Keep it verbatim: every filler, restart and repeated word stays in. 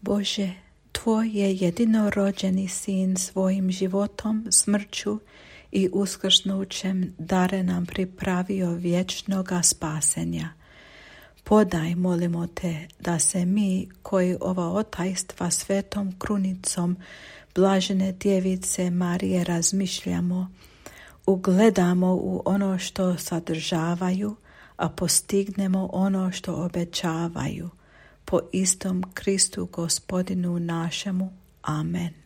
Bože, Tvoj je jedinorođeni Sin svojim životom, smrću i uskrsnućem dare nam pripravio vječnoga spasenja. Podaj, molimo Te, da se mi, koji ova otajstva svetom krunicom blažene djevice Marije razmišljamo, ugledamo u ono što sadržavaju, a postignemo ono što obećavaju. Po istom Kristu Gospodinu našemu. Amen.